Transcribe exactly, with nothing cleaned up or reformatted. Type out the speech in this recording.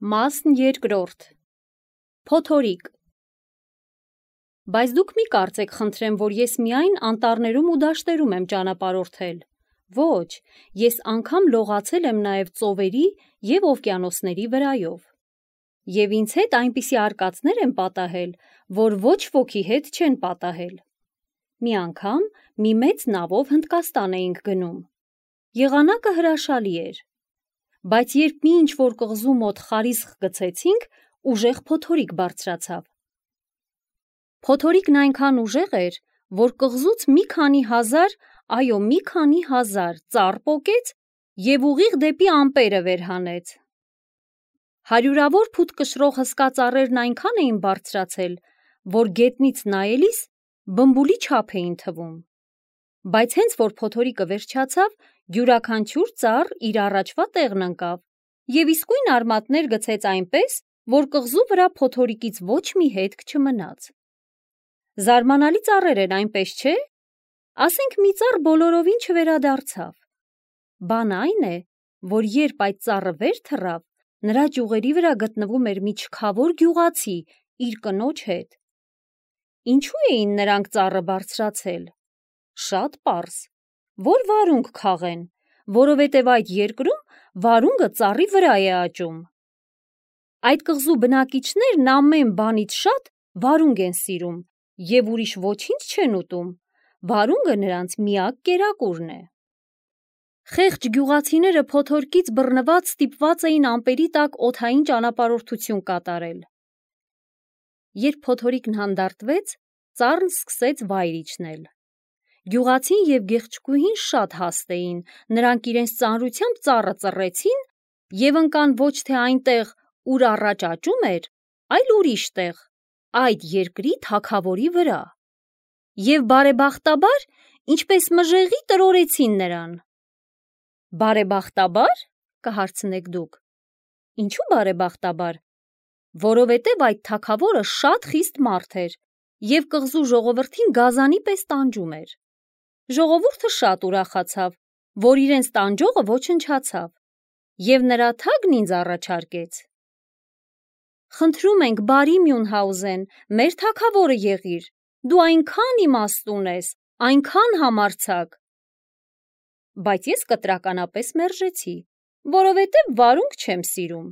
Մասն երկրորդ Փոթորիկ Բայց դուք մի կարծեք խնդրեմ, որ ես միայն անտառներում ու դաշտերում եմ ճանապարհորդել, ոչ, ես անգամ լողացել եմ նաև ծովերի և օվկիանոսների վրայով, և ինձ հետ այնպիսի արկածներ եմ պատահել, որ ոչ ոքի հետ չեն պատահել, մի անգամ մի մեծ նավով Հնդկաստան էինք գնում, եղանակը հրաշալի էր, բայց երբ մի ինչ-որ կղզու մոտ խարիսխ գցեցինք, ուժեղ փոթորիկ բարձրացավ, փոթորիկն այնքան ուժեղ էր, որ կղզուց մի քանի հազար, այո մի քանի հազար ծառ պոկեց և ուղիղ դեպի ամպերը վեր հանեց, հարյուրավոր ֆուտ կշռող հսկա ծառերն այնքան էին բարձրացել, որ գետնից նայելիս բմբուլի չափ էին թվում, բայց հենց որ փոթորիկը վերջացավ, յուրաքանչյուր ծառ իր առաջվա տեղն ընկավ և իսկույն արմատներ գցեց այնպես, որ կղզու վրա փոթորիկից ոչ մի հետք չմնաց, զարմանալի ծառեր են, այնպես չէ՞, ասենք մի ծառ բոլորովին չվերադարձավ, բանը այն է, որ երբ այդ ծառը վեր թռավ, նրա ճյուղերի վրա գտնվում էր մի չքավոր գյուղացի իր կնոջ հետ, ինչու էին նրանք ծառը բարձրացել, շատ պարզ, որ վարունգ քաղեն, որովհետև այդ երկրում վարունգը ծառի վրա է աճում, այդ կղզու բնակիչներն ամեն բանից շատ վարունգ են սիրում և ուրիշ ոչինչ չեն ուտում, վարունգը նրանց միակ կերակուրն է, խեղճ գյուղացիները փոթորիկից բռնված ստիպված էին ամպերի տակ օդային ճանապարհորդություն կատարել, երբ փոթորիկն հանդարտվեց, ծառն սկսեց վայր իջնել, գյուղացին և գեղեցկուհին շատ հաստ էին, նրանք իրենց ծանրությամբ ծառը ծռեցին և ընկան ոչ թե այնտեղ, ուր առաջ աճում էր, այլ ուրիշ տեղ, այդ երկրի թագավորի վրա, և բարեբախտաբար, ինչպես մժեղի տրորեցին նրան, բարեբախտաբա՞ր, կհարցնեք դուք, ինչու բարեբախտաբար, որովհետև այդ թագավորը շատ խիստ մարդ էր և կղզու ժողովրդին գազանի պես տանջում էր, ժողովուրդը շատ ուրախացավ, որ իրենց տանջողը ոչնչացավ և նրա թագն ինձ առաջարկեց, խնդրում ենք բարի Մյունհաուզեն, մեր թագավորը եղիր, դու այնքան իմաստուն ես, այնքան համարձակ, բայց ես կտրականապես մերժեցի, որովհետև վարունգ չեմ սիրում,